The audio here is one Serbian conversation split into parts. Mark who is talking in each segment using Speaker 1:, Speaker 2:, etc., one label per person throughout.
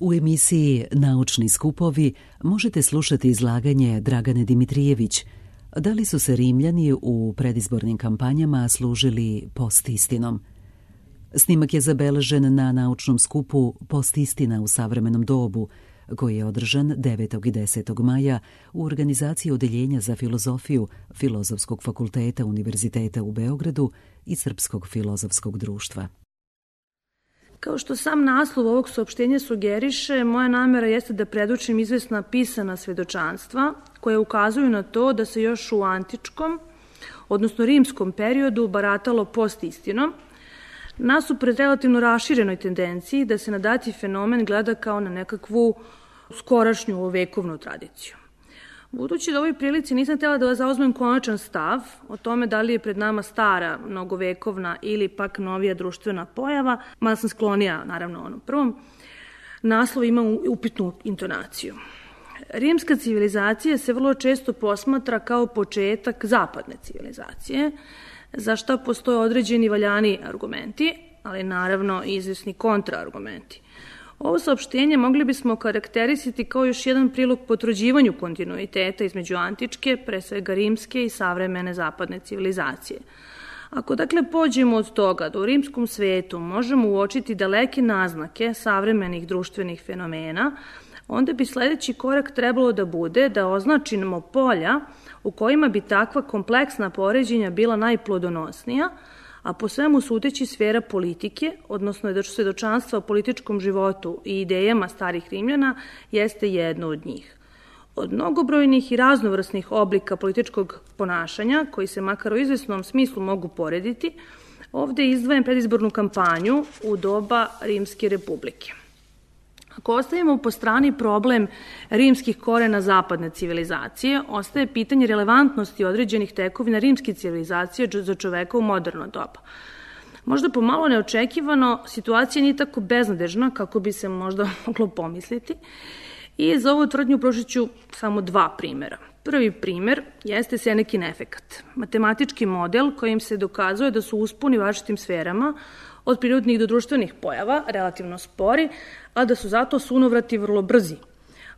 Speaker 1: U emisiji Naučni skupovi možete slušati izlaganje Dragane Dimitrijević. Da li su se Rimljani u predizbornim kampanjama služili postistinom? Snimak je zabeležen na naučnom skupu Postistina u savremenom dobu, koji je održan 9. i 10. maja u organizaciji Odeljenja za filozofiju Filozofskog fakulteta Univerziteta u Beogradu i Srpskog filozofskog društva.
Speaker 2: Kao što sam naslov ovog saopštenja sugeriše, moja namera jeste da predočim izvesna pisana svedočanstva koje ukazuju na to da se još u antičkom, odnosno rimskom periodu baratalo postistinom, nasuprot relativno raširenoj tendenciji da se na dati fenomen gleda kao na nekakvu skorašnju vekovnu tradiciju. Budući da u ovoj prilici nisam htjela da zauzmem konačan stav o tome da li je pred nama stara, mnogovekovna ili pak novija društvena pojava, mada sam sklonija, naravno, onom prvom, naslov ima upitnu intonaciju. Rimska civilizacija se vrlo često posmatra kao početak zapadne civilizacije, za što postoje određeni valjani argumenti, ali naravno i izvesni kontraargumenti. Ovo saopštenje mogli bismo karakterisati kao još jedan prilog potvrđivanju kontinuiteta između antičke, pre svega rimske i savremene zapadne civilizacije. Ako dakle pođemo od toga da u rimskom svetu možemo uočiti daleke naznake savremenih društvenih fenomena, onda bi sledeći korak trebalo da bude da označimo polja u kojima bi takva kompleksna poređenja bila najplodonosnija, a po svemu sudeći sfera politike, odnosno svedočanstva o političkom životu i idejama starih Rimljana, jeste jedno od njih. Od mnogobrojnih i raznovrsnih oblika političkog ponašanja, koji se makar u izvesnom smislu mogu porediti, ovde izdvajam predizbornu kampanju u doba Rimske republike. Ako ostavimo po strani problem rimskih korena zapadne civilizacije, ostaje pitanje relevantnosti određenih tekovina rimske civilizacije za čoveka u moderno doba. Možda pomalo neočekivano, situacija nije tako beznadežna kako bi se možda moglo pomisliti i za ovu tvrdnju prošit ću samo dva primera. Prvi primer jeste Senekin efekat, matematički model kojim se dokazuje da su usponi u različitim sferama od prirodnih do društvenih pojava relativno spori, a da su zato sunovrati vrlo brzi.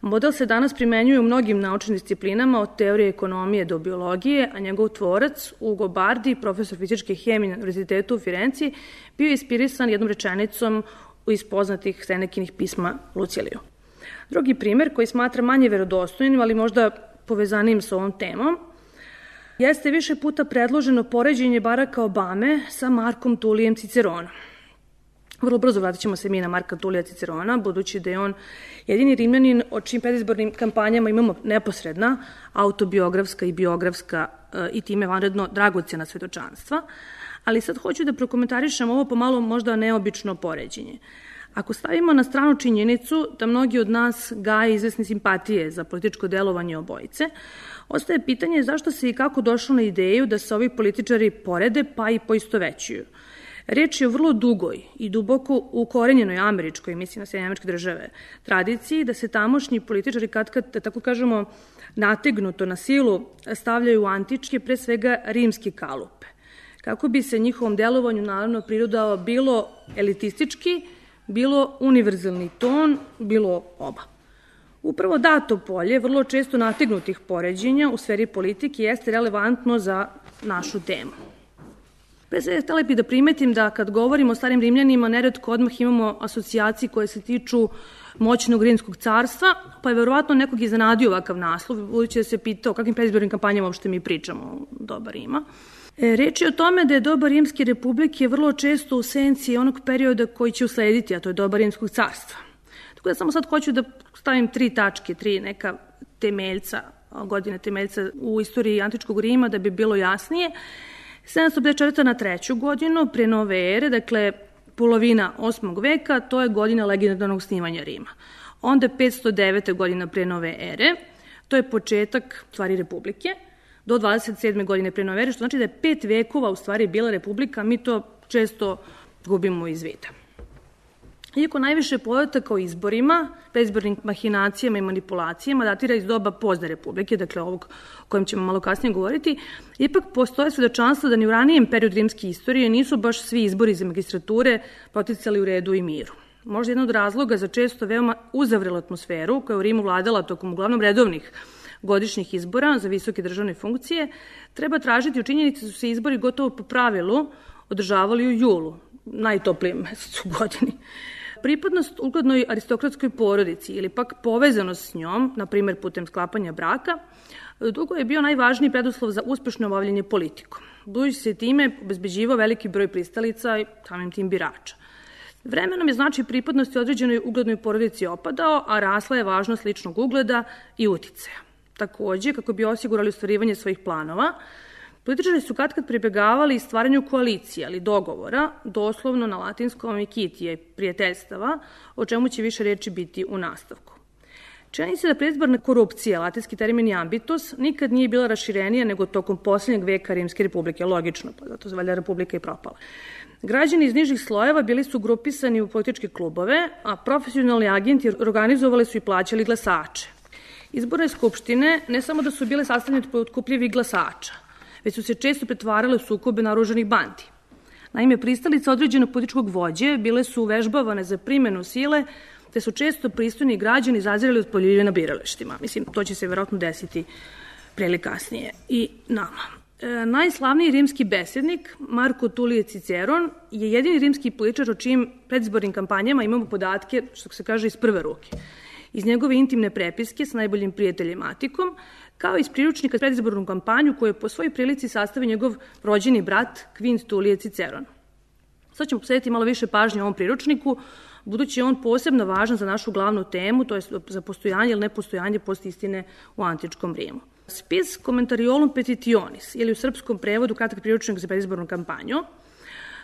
Speaker 2: Model se danas primenjuje u mnogim naučnim disciplinama od teorije ekonomije do biologije, a njegov tvorac, Ugo Bardi, profesor fizičke hemije na Univerzitetu u Firenci, bio je inspirisan jednom rečenicom iz poznatih Senekinih pisma Luciliju. Drugi primer, koji smatra manje verodostojnim, ali možda povezanim sa ovom temom, jeste više puta predloženo poređenje Baracka Obame sa Markom Tulijem Ciceronom. Vrlo brzo vratit ćemo se mi na Marka Tulija Cicerona, budući da je on jedini Rimljanin o čim predizbornim kampanjama imamo neposredna, autobiografska i biografska i time vanredno dragocjena svedočanstva, ali sad hoću da prokomentarišem ovo pomalo možda neobično poređenje. Ako stavimo na stranu činjenicu da mnogi od nas gaje izvesne simpatije za političko delovanje obojice, ostaje pitanje zašto se i kako došlo na ideju da se ovi političari porede pa i poistovećuju. Reč je o vrlo dugoj i duboko ukorenjenoj američkoj, mislim na Sjedinjene Američke Države, tradiciji da se tamošnji političari kad, da tako kažemo, nategnuto na silu stavljaju u antičke, pre svega rimske kalupe, kako bi se njihovom delovanju naravno prirodao bilo elitistički, bilo univerzalni ton, bilo oba. Upravo dato polje vrlo često nategnutih poređenja u sferi politike jeste relevantno za našu temu. Pre svega htela bih da primetim da kad govorimo o starim Rimljanima, neretko odmah imamo asocijacije koje se tiču moćnog rimskog carstva, pa je verovatno nekog iznenadio ovakav naslov, budući da se pitao o kakvim predizbornim kampanjama uopšte mi pričamo doba Rima. Reč je o tome da je doba Rimske republike vrlo često u senci onog perioda koji će uslediti, a to je doba Rimskog carstva. Tako da samo sad hoću da stavim tri tačke, tri neka temeljca, godine temeljca u istoriji antičkog Rima da bi bilo jasnije. 754. na 3. godinu pre nove ere, dakle polovina 8. veka, to je godina legendarnog snimanja Rima. Onda 509. godina pre nove ere, to je početak stvari republike, do 27. godine pre nove ere, što znači da je 5 vekova u stvari bila republika, mi to često gubimo iz vida. Iako najviše podataka o izborima, predizbornim mahinacijama i manipulacijama datira iz doba pozne republike, dakle ovog o kojem ćemo malo kasnije govoriti, ipak postoje svedočanstva da ni u ranijem periodu rimske istorije nisu baš svi izbori za magistrature poticali u redu i miru. Možda jedan od razloga za često veoma uzavrelu atmosferu koja je u Rimu vladala tokom uglavnom redovnih godišnjih izbora za visoke državne funkcije, treba tražiti u činjenici da su se izbori gotovo po pravilu održavali u julu, najtoplijem mesecu u godini. Pripadnost uglednoj aristokratskoj porodici ili pak povezanost s njom, na primjer putem sklapanja braka, dugo je bio najvažniji preduslov za uspešno obavljanje politikom. Budući se time obezbeđivao veliki broj pristalica i samim tim birača. Vremenom je značaj pripadnosti određenoj uglednoj porodici opadao, a rasla je važnost ličnog ugleda i uticaja. Takođe, kako bi osigurali ostvarivanje svojih planova, političari su katkad pribegavali stvaranju koalicije, ali dogovora, doslovno na latinskom amicitiae, prijateljstava, o čemu će više reči biti u nastavku. Čini se da predizborna korupcija, latinski termin ambitus, nikad nije bila raširenija nego tokom posljednjeg veka Rimske republike, logično, pa zato se valjda republika i propala. Građani iz nižih slojeva bili su grupisani u političke klubove, a profesionalni agenti organizovali su i plaćali glasače. Izborne skupštine ne samo da su bile sastavljene od potkupljivih glasača, već su se često pretvarale u sukobe naoružanih bandi. Naime, pristalice određenog političkog vođe bile su uvežbavane za primenu sile, te su često pristojni građani zazirali od poljulje na biralištima. Mislim, to će se verovatno desiti pre ili kasnije i nama. Najslavniji rimski besednik, Marko Tulije Ciceron, je jedini rimski političar o čijim predizbornim kampanjama imamo podatke, što se kaže, iz prve ruke. Iz njegove intimne prepiske sa najboljim prijateljem Atikom, kao i iz priručnika predizbornu kampanju koju je po svojoj prilici sastavio njegov rođeni brat Quint Tulije Ciceron. Sad ćemo posvetiti malo više pažnje ovom priručniku, budući je on posebno važan za našu glavnu temu, to je za postojanje ili nepostojanje postistine u antičkom Rimu. Spis Commentariolum Petitionis, ili u srpskom prevodu kratak priručnik za predizbornu kampanju,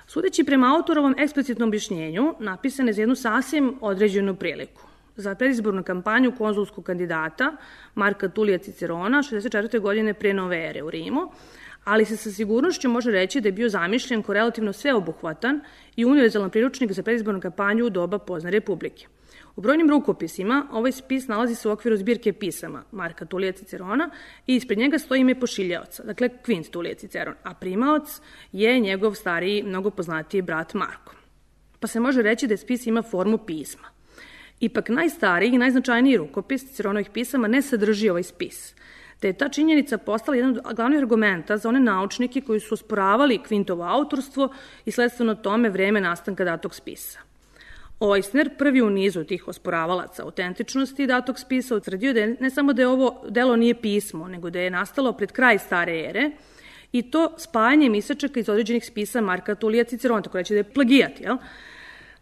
Speaker 2: sudeći prema autorovom eksplicitnom objašnjenju, napisan je za jednu sasvim određenu priliku. Za predizbornu kampanju konzulskog kandidata Marka Tulija Cicerona 64. godine pre nove ere u Rimu, ali se sa sigurnošću može reći da je bio zamišljen kao relativno sveobuhvatan i univerzalan priručnik za predizbornu kampanju u doba pozne republike. U brojnim rukopisima ovaj spis nalazi se u okviru zbirke pisama Marka Tulija Cicerona i ispred njega stoji ime pošiljaoca, dakle Quint Tulije Ciceron, a primaoc je njegov stariji, mnogo poznatiji brat Marko. Pa se može reći da je spis ima formu pisma. Ipak najstariji i najznačajniji rukopis Ciceronovih pisama ne sadrži ovaj spis, te je ta činjenica postala jedan od glavnih argumenta za one naučnike koji su osporavali Quintovo autorstvo i sledstveno tome vreme nastanka datog spisa. Oisner, prvi u nizu tih osporavalaca autentičnosti datog spisa, utvrdio da ne samo da je ovo delo nije pismo, nego da je nastalo pred kraj stare ere, i to spajanjem isečaka iz određenih spisa Marka Tulija Cicerona, tako reći da je plagijat, jel?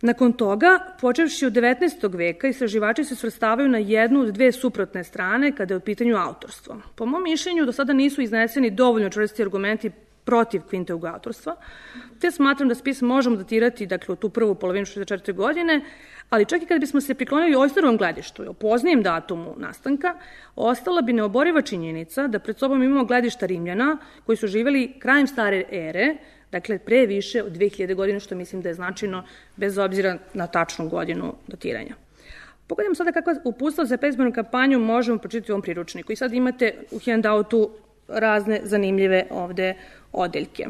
Speaker 2: Nakon toga, počevši od 19. veka, istraživači se svrstavaju na jednu od dve suprotne strane kada je u pitanju autorstvo. Po mom mišljenju, do sada nisu izneseni dovoljno čvrsti argumenti protiv Quintovog autorstva, te smatram da spis možemo datirati, dakle, u tu prvu polovinu 64. godine, ali čak i kada bismo se priklonili Oisnerovom gledištu i o poznijem datumu nastanka, ostala bi neoboriva činjenica da pred sobom imamo gledišta Rimljana koji su živeli krajem stare ere, dakle, pre više od 2000 godina, što mislim da je značajno bez obzira na tačnu godinu datiranja. Pogledajmo sada kakva uputstva za predizbornu kampanju možemo pročitati u ovom priručniku. I sad imate u handoutu razne zanimljive ovde odeljke.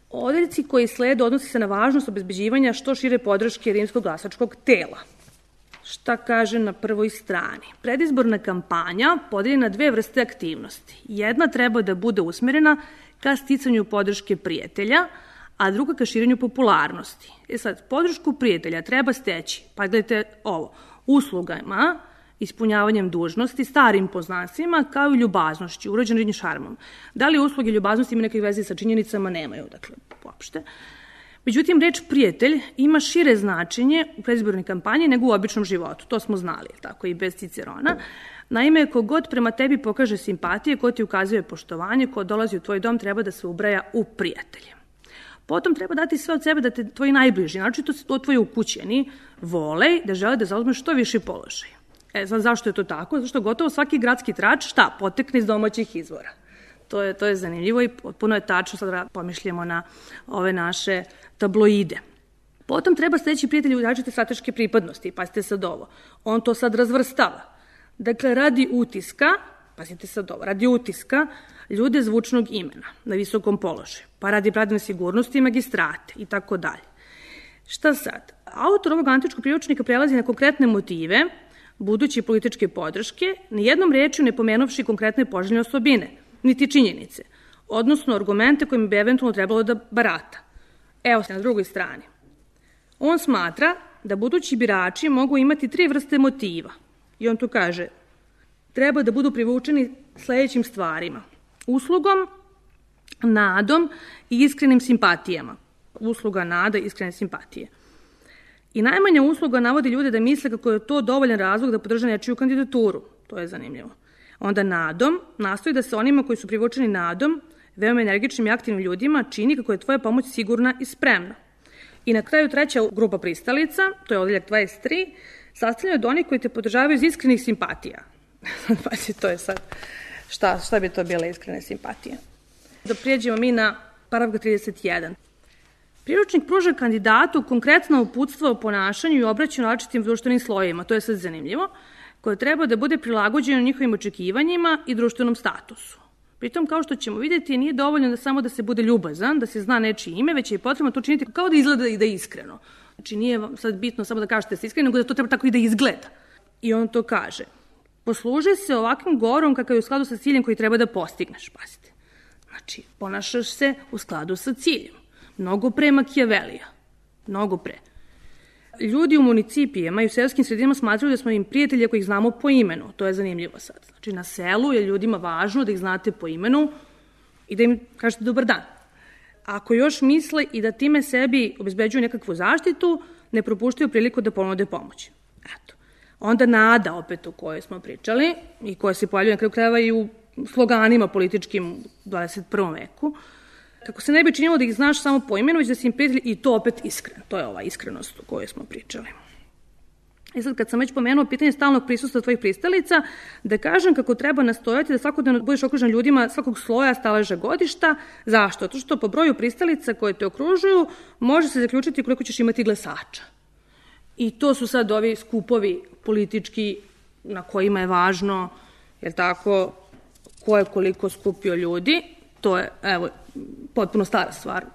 Speaker 2: Odeljci koji slede odnosi se na važnost obezbeđivanja što šire podrške rimskog glasačkog tela. Šta kaže na prvoj strani? Predizborna kampanja podeljena na dve vrste aktivnosti. Jedna treba da bude usmerena ka sticanju podrške prijatelja, a druga ka širenju popularnosti. Sad, podršku prijatelja treba steći, pa gledajte ovo, uslugama, ispunjavanjem dužnosti, starim poznanstvima, kao i ljubaznošću, urođenim šarmom. Da li usluge ljubaznosti ima neke veze sa činjenicama? Nemaju, dakle, uopšte. Međutim, reč prijatelj ima šire značenje u predizbornoj kampanji nego u običnom životu. To smo znali, tako i bez Cicerona. Naime, kogod prema tebi pokaže simpatije, ko ti ukazuje poštovanje, ko dolazi u tvoj dom, treba da se ubraja u prijatelje. Potom treba dati sve od sebe da te tvoji najbliži, naročito tvoji ukućeni, vole da žele da zauzmeš što više položaj. Zašto je to tako? Zašto gotovo svaki gradski trač, šta, potekne iz domaćih izvora. To je zanimljivo i potpuno je tačno, sad pomišljamo na ove naše tabloide. Potom treba steći prijatelji u različite strateške pripadnosti, pazite sad ovo. On to sad razvrstava. Dakle, radi utiska, pazite sad ovo, radi utiska ljude zvučnog imena na visokom položaju, pa radi pravne sigurnosti i magistrate i tako dalje. Šta sad? Autor ovog antičkog priručnika prelazi na konkretne motive buduće političke podrške, nijednom rečju ne pomenovši konkretne poželjne osobine, niti činjenice, odnosno argumente kojim bi eventualno trebalo da barata. Evo se na drugoj strani. On smatra da budući birači mogu imati 3 vrste motiva. I on tu kaže, treba da budu privučeni sledećim stvarima. Uslugom, nadom i iskrenim simpatijama. Usluga, nada i iskrene simpatije. I najmanja usluga navodi ljude da misle kako je to dovoljan razlog da podrže nečiju kandidaturu. To je zanimljivo. Onda nadom nastoji da se onima koji su privučeni nadom, veoma energičnim i aktivnim ljudima, čini kako je tvoja pomoć sigurna i spremna. I na kraju treća grupa pristalica, to je odeljak 23, sastavljena od onih koji te podržavaju iz iskrenih simpatija. Pazi, to je sad, šta bi to bile iskrene simpatije? Da prijeđemo mi na paragraf 31. Priručnik pruža kandidatu konkretna uputstva o ponašanju i obraćanju različitim društvenim slojevima, to je sad zanimljivo, koje treba da bude prilagođeno njihovim očekivanjima i društvenom statusu. Pritom, kao što ćemo vidjeti, nije dovoljno da samo da se bude ljubazan, da se zna nečije ime, već je potrebno to učiniti kao da izgleda i da je iskreno. Znači, nije sad bitno samo da kažete da ste iskreni, nego da to treba tako i da izgleda. I on to kaže. Posluži se ovakvim govorom kakav je u skladu sa ciljem koji treba da postigneš, pazite. Znači, ponašaš se u skladu sa ciljem. Mnogo pre Makijavelija. Mnogo pre. Ljudi u municipijama i u selskim sredinama smatraju da smo im prijatelji ako ih znamo po imenu. To je zanimljivo sad. Znači, na selu je ljudima važno da ih znate po imenu i da im kažete dobar dan. Ako još misle i da time sebi obezbeđuju nekakvu zaštitu, ne propuštaju priliku da ponude pomoć. Eto. Onda nada, opet o kojoj smo pričali i koja se pojavljuje na kraju krajeva i u sloganima političkim u 21. veku, kako se ne bi činilo da ih znaš samo po imenu, već da si im prijatelji i to opet iskreno. To je ova iskrenost o kojoj smo pričali. I sad kad sam već pomenuo pitanje stalnog prisustva tvojih pristalica, da kažem kako treba nastojati da svakodnevno budeš okružen ljudima svakog sloja, staleža, godišta. Zašto? To što po broju pristalica koje te okružuju može se zaključiti koliko ćeš imati glasača. I to su sad ovi skupovi politički na kojima je važno, jer tako, ko je koliko skupio ljudi. To je, evo, potpuno stara stvar,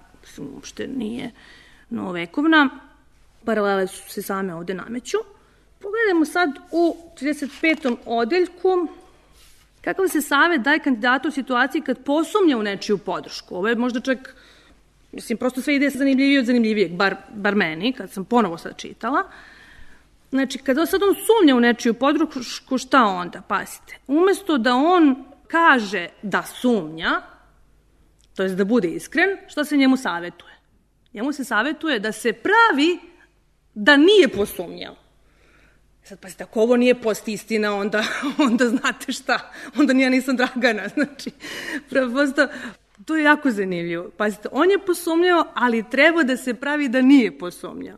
Speaker 2: uopšte nije novovekovna. Paralele su se same ovde nameću. Pogledajmo sad u 35. odeljku kakav se savet daje kandidatu u situaciji kad posumnja u nečiju podršku. Ovo je možda čak, prosto sve ide zanimljivije od zanimljivijeg, bar meni, kad sam ponovo sad čitala. Znači, kada sad on sumnja u nečiju podršku, šta onda? Pazite, umesto da on kaže da sumnja, to je da bude iskren, šta se njemu savetuje? Njemu se savetuje da se pravi da nije posumnjao. Sad, pazite, ako ovo nije post istina, onda znate šta, onda ja nisam Dragana, znači, prosto, to je jako zanimljivo. Pazite, on je posumnjao, ali treba da se pravi da nije posumnjao.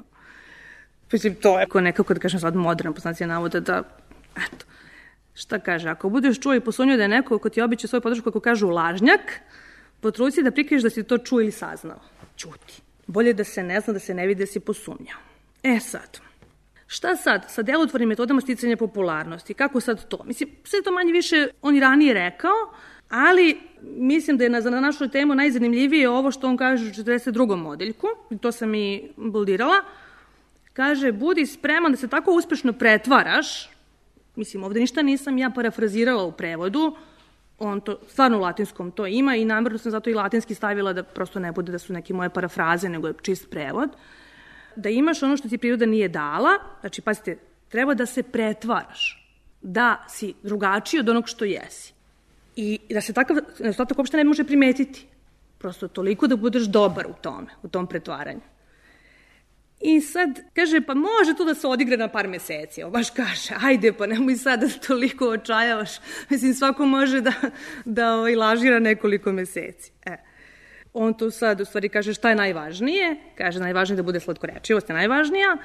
Speaker 2: Mislim, to je nekako, da kažem sad, moderna poznacija navoda da, eto, šta kaže, ako budeš čuo i posumnjao da je neko ko ti običe svoju podršku, kako kažu lažnjak, potrudi se da prikriješ da si to čuo ili saznao. Ćuti. Bolje da se ne zna, da se ne vidi da si posumnjao. Sad, šta sad sa delotvornim metodama sticanja popularnosti? Kako sad to? Mislim, sve to manje više on i ranije rekao, ali mislim da je za našu temu najzanimljivije ovo što on kaže u 42. odeljku, i to sam i boldirala. Kaže, budi spreman da se tako uspešno pretvaraš, mislim, ovde ništa nisam ja parafrazirala u prevodu, on to, stvarno u latinskom to ima i namerno sam zato i latinski stavila da prosto ne bude da su neke moje parafraze, nego je čist prevod, da imaš ono što ti priroda nije dala, znači, pazite, treba da se pretvaraš, da si drugačiji od onog što jesi. I da se takav nedostatak uopšte ne može primetiti. Prosto toliko da budeš dobar u tome, u tom pretvaranju. I sad, kaže, pa može to da se odigre na par meseci. Ovo baš kaže, ajde, pa nemoj sad da toliko očajavaš. Mislim, svako može da lažira nekoliko meseci. On tu sad u stvari kaže šta je najvažnije. Kaže, najvažnije da bude slatkorečivost je najvažnija.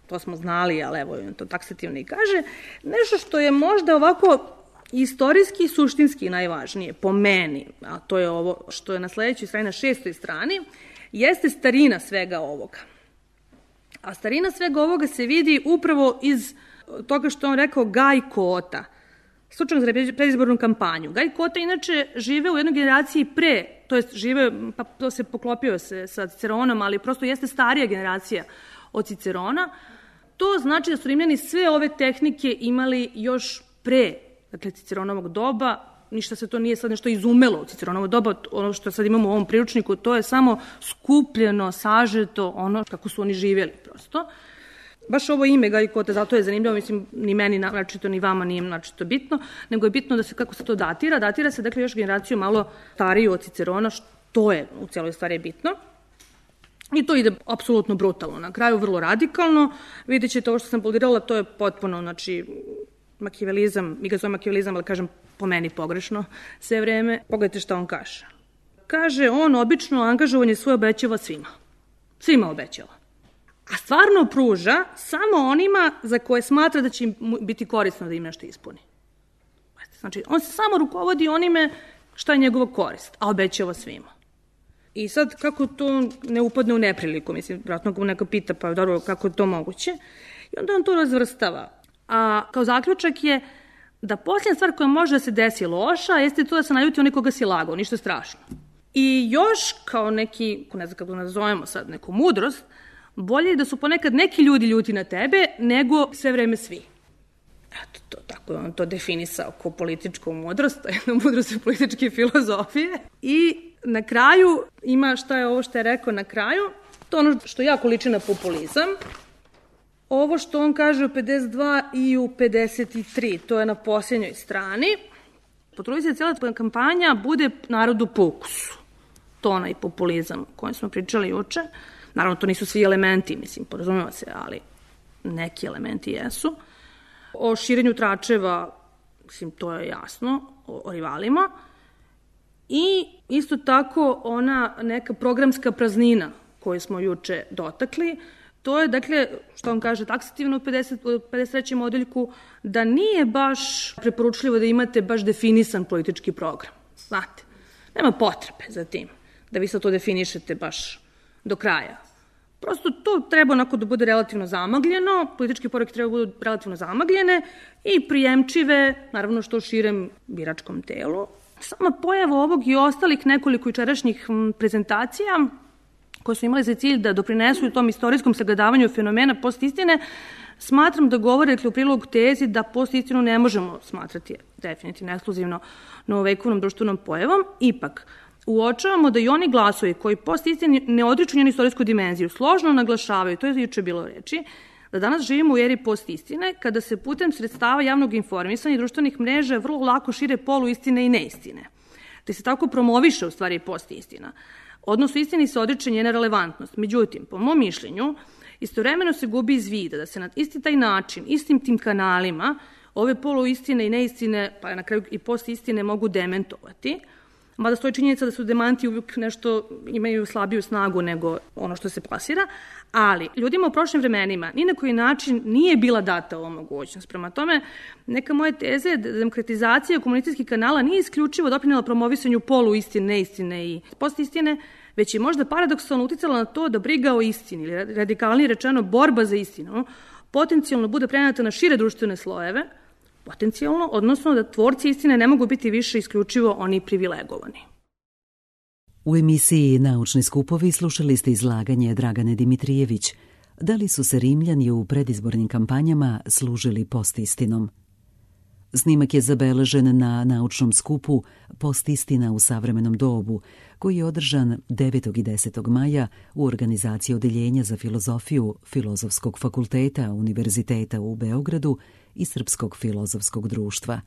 Speaker 2: To smo znali, ali evo, on to taksativno i kaže. Nešto što je možda ovako istorijski i suštinski najvažnije, po meni, a to je ovo što je na sledećoj strani, na 6. strani, jeste starina svega ovoga. A starina svega ovoga se vidi upravo iz toga što on rekao Gaj Kota, slučajno za predizbornu kampanju. Gaj Kota inače žive u jednoj generaciji pre, to jest žive, pa to se poklopio se sa Ciceronom, ali prosto jeste starija generacija od Cicerona. To znači da su Rimljani sve ove tehnike imali još pre, dakle, Ciceronovog doba. Ništa se to nije sad nešto izumelo u Ciceronovo doba. Ono što sad imamo u ovom priručniku, to je samo skupljeno, sažeto, ono kako su oni živjeli prosto. Baš ovo ime Gajikote, zato je zanimljivo, mislim, ni meni načito, ni vama nije načito bitno, nego je bitno da se, kako se to datira. Datira se, dakle, još generaciju malo stariju od Cicerona, što je u cijeloj stvari bitno. I to ide apsolutno brutalno. Na kraju vrlo radikalno. Vidjet ćete ovo što sam polirala, to je potpuno, znači, makijavelizam, mi ga zove makijavelizam, ali kažem po meni pogrešno sve vreme. Pogledajte šta on kaže. Kaže, on obično angažovanje svoje obećava svima. Svima obećava. A stvarno pruža samo onima za koje smatra da će im biti korisno da im nešto ispuni. Znači, on se samo rukovodi onime šta je njegova korist, a obećava svima. I sad, kako to ne upadne u nepriliku? Mislim, vratno ga neko pita, pa dobro, kako je to moguće? I onda on to razvrstava. A kao zaključak je da posljednja stvar koja može da se desi loša, jeste to da se naljuti onaj koga si lagao, ništa strašno. I još kao neki, ne znam kako nazovemo sad, neku mudrost, bolje je da su ponekad neki ljudi ljuti na tebe, nego sve vreme svi. Eto, to, tako je on to definisao kao političku mudrost, jednu mudrost političke filozofije. I na kraju ima šta je ovo što je rekao na kraju, to ono što jako liči na populizam. Ovo što on kaže u 52 i u 53, to je na posljednjoj strani. Potrudi se cijela kampanja bude narodu po ukusu. To onaj populizam o kojem smo pričali juče. Naravno, to nisu svi elementi, mislim, porazumijeva se, ali neki elementi jesu. O širenju tračeva, mislim, to je jasno, o rivalima. I isto tako ona neka programska praznina koju smo juče dotakli, to je, dakle, što on kaže taksativno u 53. odeljku, da nije baš preporučljivo da imate baš definisan politički program. Znate, nema potrebe za tim, da vi sad to definišete baš do kraja. Prosto to treba onako da bude relativno zamagljeno, političke poruke treba da budu relativno zamagljene i prijemčive, naravno što širem biračkom telu. Sama pojava ovog i ostalih nekoliko jučerašnjih prezentacija koje su imali za cilj da doprinesu u tom istorijskom sagledavanju fenomena postistine, smatram da govore u prilog tezi da postistinu ne možemo smatrati definitivno ekskluzivno novovekovnom društvenom pojavom. Ipak, uočavamo da i oni glasovi koji postistini ne odriču njenu istorijsku dimenziju, složno naglašavaju, to je juče bilo reči, da danas živimo u eri postistine, kada se putem sredstava javnog informisanja i društvenih mreža vrlo lako šire poluistine i neistine. Te se tako promoviše u stvari postistina. Odnosno, istini se odriče njena relevantnost. Međutim, po mom mišljenju, istovremeno se gubi iz vida da se na isti taj način, istim tim kanalima, ove poluistine i neistine, pa na kraju i postistine mogu dementovati, mada stoji činjenica da su demanti uvijek nešto imaju slabiju snagu nego ono što se plasira, ali ljudima u prošlim vremenima ni na koji način nije bila data ova mogućnost. Prema tome, neka moja teza je da demokratizacija komunističkih kanala nije isključivo doprinela promovisanju poluistine, neistine i postistine, već je možda paradoksalno uticala na to da briga o istini, ili radikalnije rečeno borba za istinu, potencijalno bude prenata na šire društvene slojeve, potencijalno, odnosno da tvorci istine ne mogu biti više isključivo oni privilegovani.
Speaker 1: U emisiji Naučni skupovi slušali ste izlaganje Dragane Dimitrijević. Da li su se Rimljani u predizbornim kampanjama služili postistinom? Snimak je zabeležen na naučnom skupu Postistina u savremenom dobu, koji je održan 9. i 10. maja u organizaciji Odeljenja za filozofiju Filozofskog fakulteta Univerziteta u Beogradu i Srpskog filozofskog društva.